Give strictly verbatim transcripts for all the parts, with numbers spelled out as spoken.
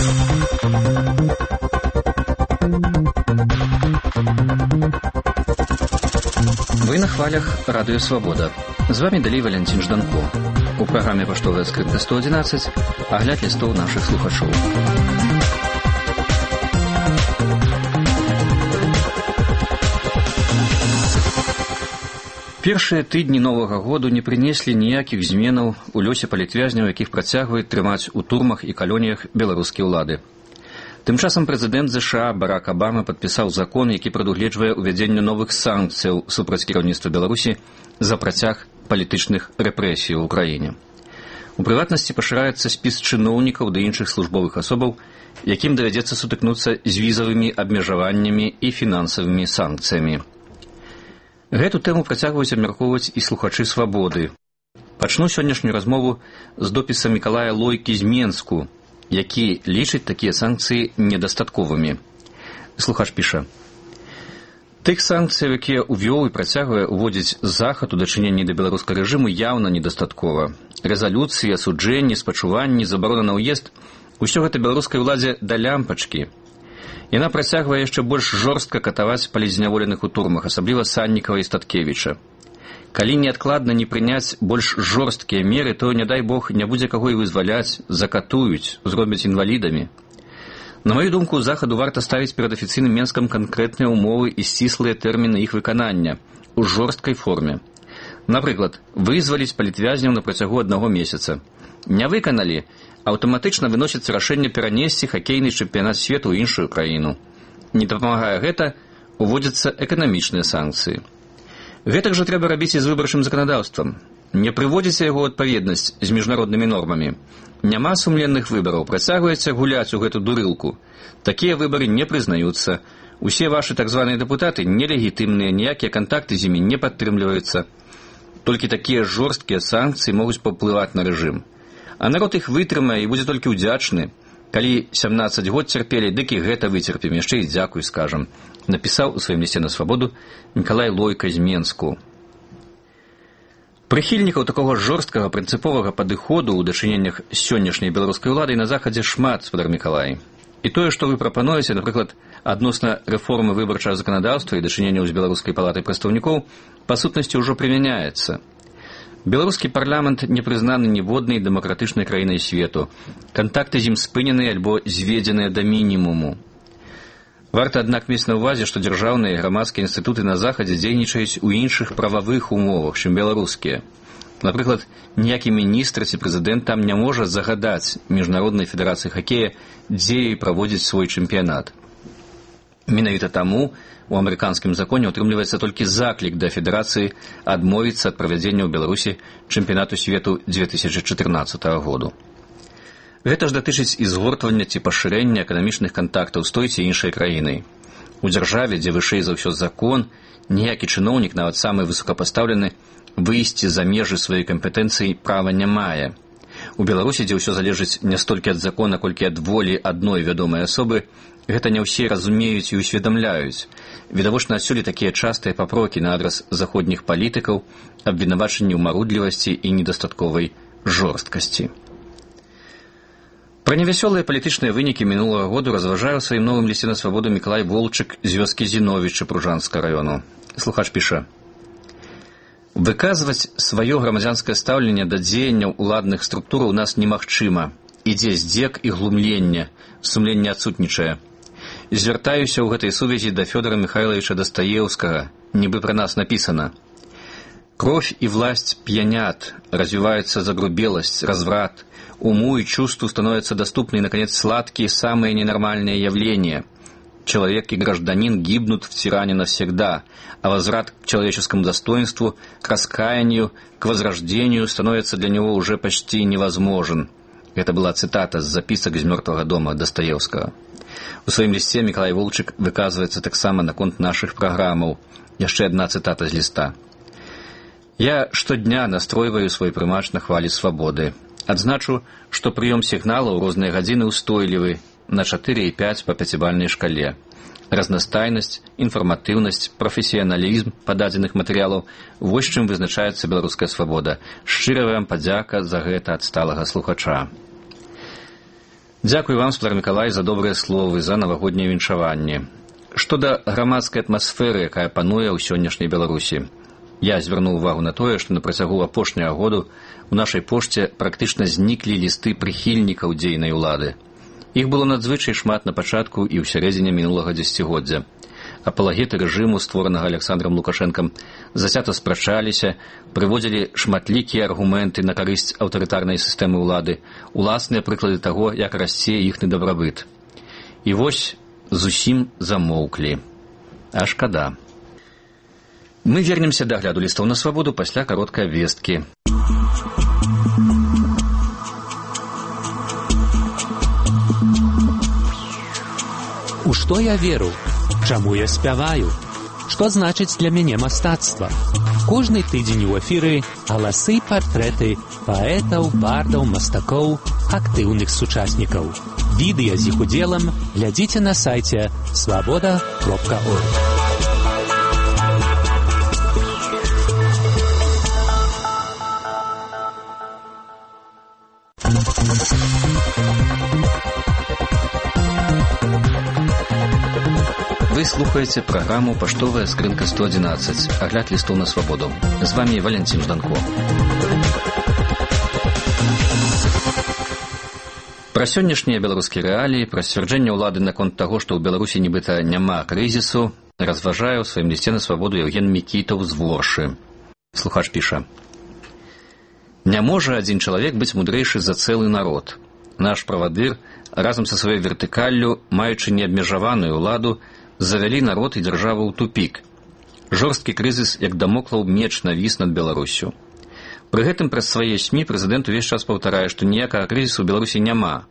Вы на хвалях Радио Свобода. З вами далей Валентин Жданко. У праграме «Паштовая скрытка сто одиннадцать» агляд лістоў нашых слухачоў. Першыя тыдні новага году не прынеслі ніякіх зменаў у лёсе палітвязняў, якіх працягваюць трымаць у турмах і калоніях беларускія ўлады. Тым часам прэзідэнт ЗША Барак Абама падпісаў закон, які прадугледжвае ўвядзенне новых санкцыяў супраць кіраўніцтва Беларусі за працяг палітычных рэпрэсій у краіне. У прыватнасці пашыраецца спіс чыноўнікаў ды іншых службовых асобаў, якім давядзецца сутыкнуцца з візавымі абмежаваннямі і фінансавымі санкцыямі. Гэту тэму працягваюць абмяркоўваць і слухачы «Свабоды». Пачну сённяшнюю размову з допіса Мікалая Лойкі з Менску, які лічыць такія санкцыі недастатковымі. Слухач піша: «Тых санкцыяў, якія ўвёў і працягвае уводзіць захад у дачыненні да беларускага рэжыму, яўна недастаткова. Рэзалюцыі, асуджэнні, спачуванні, забарона на ўезд – усё гэта беларускай уладзе да лямпачкі. Яна працягвае яшчэ больш жорстка катаваць палізняволеных у турмах, асабліва Саннікава і Статкевіча. Калі неадкладна не прыняць больш жорсткія меры, то, не дай Бог, не будзе каго і вызваляць, закатуюць, зробяць інвалідамі. На маю думку, захаду варта ставіць перад афіцыйным Менскам канкрэтныя ўмовы і сціслыя тэрміны іх выканання у жорсткай форме. Напрыклад, вызваліць палітвязняў на працягу аднаго месяца. Не выканалі, аўтаматычна выносіцца рашэнне перанесці хакейны чэмпіянат свету ў іншую краіну. Не дапамагае гэта, уводзяцца эканамічныя санкцыі. Гэтак жа трэба рабіць і з выбарчым заканадаўствам. Не прыводзіце яго адпаведнасць з міжнароднымі нормамі. Няма сумленных выбараў, працягваеце гуляць у гэту дурылку. Такія выбары не прызнаюцца. Усе вашы так званыя дэпутаты нелегітымныя, ніякія кантакты з імі не падтрымліваюцца. Толькі такія жорсткія санкцыі могуць паўплываць на рэжым. А народ іх вытрымае і будзе толькі ўдзячны. Калі сямнаццаць год цярпелі, дык і гэта выцерпім, яшчэ і дзякуй скажам», напісаў у сваім лісце на Свабоду Мікалай Лойка з Менску. Прыхільнікаў такога жорсткага прынцыповага падыходу ў дачыненнях з сённяшняй беларускай уладай на захадзе шмат, спадар Мікалай. І тое, што вы прапануеце, напрыклад, адносна рэформы выбарчага заканадаўства і дачыненняў з беларускай палатай прадстаўнікоў, па сутнасці ўжо прымяняецца. Беларускі парламент не прызнаны ніводнай дэмакратычнай краінай свету. Кантакты з ім спынены альбо зведзеныя да мінімуму. Варта, аднак, мець на ўвазе, што дзяржаўныя і грамадскія інстытуты на захадзе дзейнічаюць у іншых прававых умовах, чым беларускія. Напрыклад, ніякі міністр ці прэзідэнт там не можа загадаць міжнароднай федэрацыі хакея, дзе і праводзіць свой чэмпіянат. Менавіта таму у амерыканскім законе ўтрымліваецца толькі заклік да федэрацыі адмовіцца ад правядзення ў Беларусі чэмпіянату свету дзве тысячы чатырнаццатага году. Гэта ж датычыць і згортвання ці пашырэння эканамічных кантактаў з той ці іншай краінай. У дзяржаве, дзе вышэй за ўсё закон, ніякі чыноўнік, нават самы высокапастаўлены, выйсці за межы сваёй кампетэнцыі права не мае. У Беларусі, дзе ўсё залежыць не столькі ад закона, колькі ад волі адной вядомай асобы, гэта не ўсе разумеюць і ўсведамляюць. Відавочна адсюль такія частыя папрокі на адрас заходніх палітыкаў, абвінавачанні ў марудлівасці і недастатковай жорсткасці. Пра невясёлыя палітычныя вынікі мінулага году разважае ў сваім новым лісце на Свабоду Мікалай Волчык з вёскі Зіновічы Пружанскага раёну. Слухач піша: «Выказваць сваё грамадзянскае стаўленне да дзеянняў уладных структураў у нас немагчыма. Ідзе здзек і глумленне, сумленне адсутнічае. Звяртаюся ў гэтай сувязі да Фёдора Михайловича Дастаеўскага, нібы пра нас напісана. Кровь и власть пьянят, развивается загрубелость, разврат, уму и чувству становятся доступны и, наконец, сладкие самые ненормальные явления. Человек и гражданин гибнут в тиране навсегда, а возврат к человеческому достоинству, к раскаянию, к возрождению становится для него уже почти невозможен». Это была цитата з запісак з «Мёртвага дома» Дастаеўскага. У сваім лісце Мікалай Волчык выказваецца таксама наконт нашых праграмаў. Яшчэ адна цитата з ліста. «Я штодня настройваю свой прымач на хвалі свабоды. Адзначу, што прыём сігналаў у розныя гадзіны ўстойлівы на чатыры і пяць па пяцібальнай шкале. Разнастайнасць, інфарматыўнасць, прафесіяналізм пададзеных матэрыялаў – вось чым вызначаецца беларуская свабода. Шчырая вам падзяка за гэта ад сталага слухача». Дзякуй вам, Спадар Мікалай, за добрыя словы, за навагоднее віншаванне. Што да грамадскай атмасферы, якая пануе ў сённяшняй Беларусі. Я звярнуў увагу на тое, што на працягу апошняга году у нашай пошце практычна зніклі лісты прыхільнікаў дзейнай улады. Іх было надзвычай шмат на пачатку і ў сярэдзіне мінулага дзесяцігоддзя. Апалагеты рэжыму, створанага Александром Лукашэнкам, зацята спрачаліся, прыводзілі шматлікія аргументы на карысць аўтарытарнай сістэмы ўлады, уласныя прыклады таго, як расце іхны дабрабыт. І вось зусім замоўклі. А шкада. Мы вернемся да агляду лістоў на свабоду пасля кароткай абвесткі. У што я веру? Чаму я спяваю? Што значыць для мяне мастацтва? Кожны тыдзень у эфіры галасы, партрэты паэтаў, бардаў, мастакоў, актыўных сучаснікаў. Відэа з іх удзелам глядзіце на сайце свабода кропка орг. Вы слухаеце праграму «Паштовая скрынка сто адзінаццаць», агляд лістоў на свабоду. З вами Валентин Жданко. Пра сённяшнія беларускія рэаліі, пра сцвярджэнне ўлады наконт таго, што ў Беларусі нібыта няма крызісу, разважае ў сваім лісце на свабоду Евген Мікітаў з Воршы. Слухач піша: «Не можа адзін чалавек быць мудрэйшы за цэлы народ. Наш правадыр, разам са сваёй вертыкаллю, маючы неабмежаваную ўладу, завялі народ і дзяржаву ў тупік. Жорсткі крызіс, як дамоклаў меч, навіс над Беларусю. Пры гэтым праз свае СМІ прэзідэнт увесь час паўтарае, што ніякага крызісу ў Беларусі няма.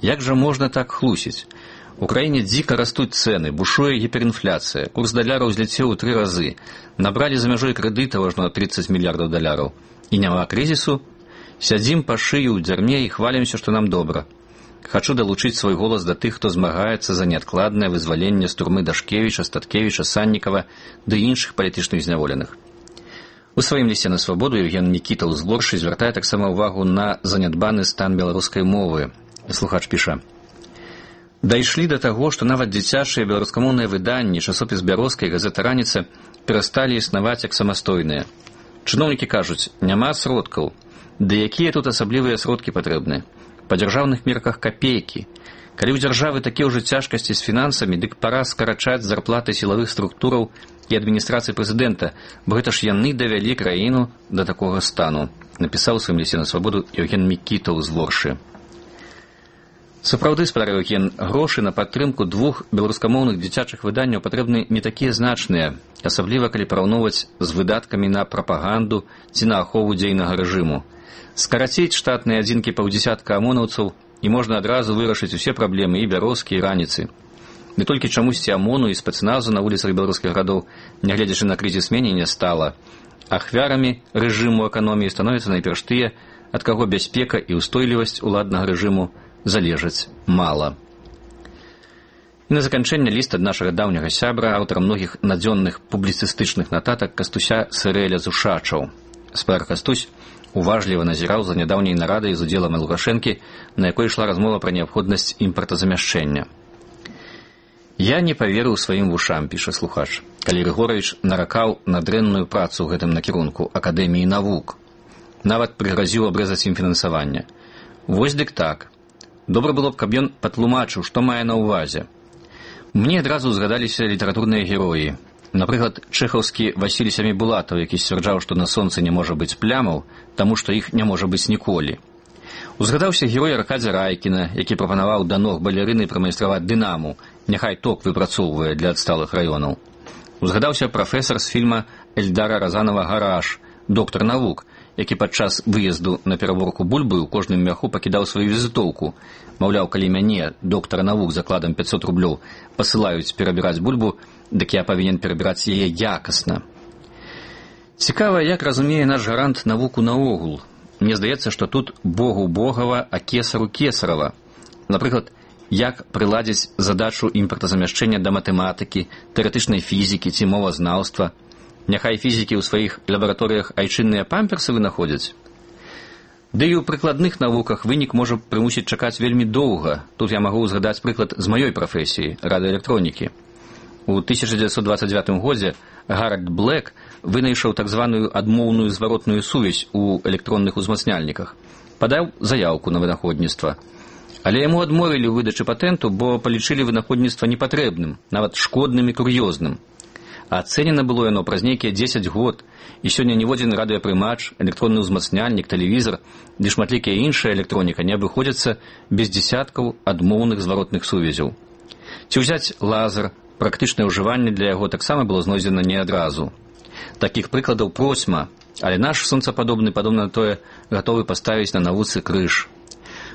Як жа можна так хлусіць? У краіне дзіка растуць цэны, бушуе гіперінфляцыя, курс даляра ўзляцеў у тры разы, набралі за мяжой крэдытаў аж на трыццаць мільярдаў даляраў. І няма крызісу? Сядзім па шыю ў дзярме і хвалімся, што нам добра. Хачу далучыць свой голас да тых, хто змагаецца за неадкладнае вызваленне з турмы Дашкевіча, Статкевіча, Саннікава ды іншых палітычных зняволеных». У сваім лісце на свабоду Евген Мікітаў з Воршы звяртае таксама ўвагу на занядбаны стан беларускай мовы. Слухач піша: «Дайшлі да таго, што нават дзіцячыя беларускамоўныя выданні, часопіс «Бярозка» і газета «Раніца» перасталі існаваць як самастойныя. Чыноўнікі кажуць, няма сродкаў. Ды якія тут асаблівыя сродкі патрэбны? Па дзяржаўных мерках капейкі. Калі ў дзяржавы такія ўжо цяжкасці з фінансамі, дык пара скарачаць зарплаты сілавых структураў і адміністрацыі прэзідэнта, бо гэта ж яны давялі краіну да такога стану», напісаў у сваім лісце на свабоду Евген Мікітаў з Воршы. Сапраўды, спадар Евген, грошы на падтрымку двух беларускамоўных дзіцячых выданняў патрэбны не такія значныя, асабліва калі параўноўваць з выдаткамі на прапаганду ці на ахову дзейнага рэжыму. Скараціць штатныя адзінкі паўдзесятка амонаўцаў і можна адразу вырашыць усе праблемы і Бярозкі, і Раніцы. Не толькі чамусьці АМОНу і спецназу на вуліцах беларускіх гарадоў, нягледзячы на крызіс, меней не стала. Ахвярамі рэжыму эканоміі становяцца найперш тыя, ад каго бяспека і ўстойлівасць уладнага рэжыму залежаць мала. І на заканчэнне ліст ад нашага даўняга сябра, аўтара многіх надзённых публіцыстычных нататак Кастуся Сырэля з Ушачаў. Спадар Кастусь уважліва назіраў за нядаўняй нарадай з удзелам Лукашэнкі, на якой ішла размова пра неабходнасць імпартазамяшчэння. «Я не паверыў сваім вушам», піша слухач, калі Рыгоравіч наракаў на дрэнную працу ў гэтым накірунку Акадэміі навук. Нават прыгразіў абрэзаць ім фінансаванне. Вось дык так. Добра было б, каб ён патлумачыў, што мае на ўвазе. Мне адразу згадаліся літаратурныя героі. Напрыклад, чэхаўскі Васіль Сямібулатаў, які сцвярджаў, што на сонцы не можа быць плямаў, таму што іх не можа быць ніколі. Узгадаўся герой Аркадзя Райкіна, які прапанаваў да ног балерыны прамайстраваць дынаму, няхай ток выпрацоўвае для адсталых раёнаў. Узгадаўся прафесар з фільма Эльдара Разанова «Гараж», доктар навук, які падчас выезду на пераборку бульбы ў кожным мяху пакідаў сваю візітоўку. Маўляў, калі мяне, доктара навук, закладам пяцьсот рублёў, пасылаюць перабіраць бульбу, дык я павінен перабіраць яе якасна. Цікава, як разумее наш гарант навуку наогул. Мне здаецца, што тут Богу Богава, а кесару кесарава. Напрыклад, як прыладзіць задачу імпартазамяшчэння да матэматыкі, тэарэтычнай фізікі ці мовазнаўства. Няхай фізікі ў сваіх лабараторыях айчынныя памперсы вынаходзяць. Ды і ў прыкладных навуках вынік можа прымусіць чакаць вельмі доўга. Тут я магу узгадаць прыклад з маёй прафесіі радыёэлектронікі. У тысяча дзевяцьсот двадцать девятым годзе Гаральд Блэк вынайшаў так званую адмоўную зваротную сувязь у электронных узмацняльніках. Падаў заяўку на вынаходніцтва. Але яму адмовілі ў выдачы патэнту, бо палічылі вынаходніцтва непатрэбным, нават шкодным і кур'ёзным. А ацэнена было яно праз нейкія дзесяць год, і сёння ніводзін радыёпрымач, электронны ўзмацняльнік, тэлевізор ды шматлікая іншая электроніка не абыходзяцца без дзесяткаў адмоўных зваротных сувязяў. Ці ўзяць лазер, практычнае ўжыванне для яго таксама было знойдзена не адразу. Такіх прыкладаў процьма, але наш сонцападобны, падобна на тое, гатовы паставіць на навуцы крыж.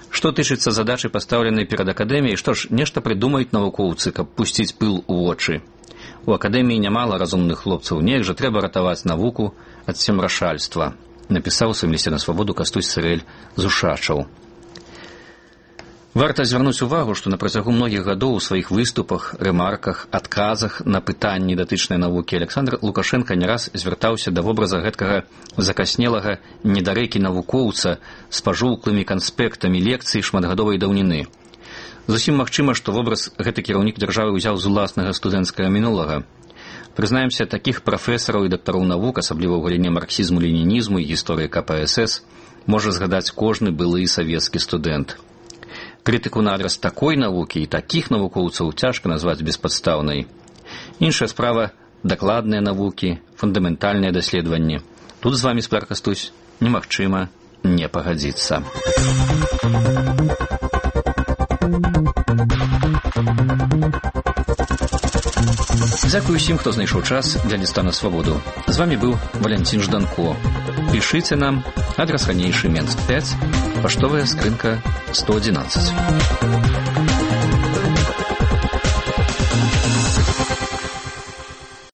Што тычыцца задачы, пастаўленай перад акадэміяй, што ж, нешта прыдумаюць навукоўцы, каб пусціць пыл у вочы. У акадэміі нямала разумных хлопцаў, неяк жа трэба ратаваць навуку ад семрашальства, напісаў у сваім лісце на свабоду Кастусь Цырэль з Ушачаў. Варта звярнуць увагу, што на працягу многіх гадоў у сваіх выступах, рэмарках, адказах на пытанні датычнай навукі Александр Лукашенко не раз звяртаўся да вобраза гэткага закаснелага недарэкі навукоўца з пажоўклымі канспектамі лекцый шматгадовай даўніны. Зусім магчыма, што вобраз гэты кіраўнік дзяржавы ўзяў з уласнага студэнцкага мінулага. Прызнаемся, такіх прафесараў і дактароў навук, асабліва ў галіне марксізму, ленінізму і гісторыі ка пэ эс эс, можа згадаць кожны былы савецкі студэнт. Крытыку на адрас такой навукі і такіх навукоўцаў цяжка назваць беспадстаўнай. Іншая справа – дакладныя навукі, фундаментальныя даследаванні. Тут з вамі, спадар Кастусь, немагчыма не пагадзіцца. Дзякую усім, хто знайшоў час для ліста на свабоду. З вамі быў Валянцін Жданко. Пішыце нам, адрас ранейшы Менск пяць, паштовая скрынка сто одиннадцать.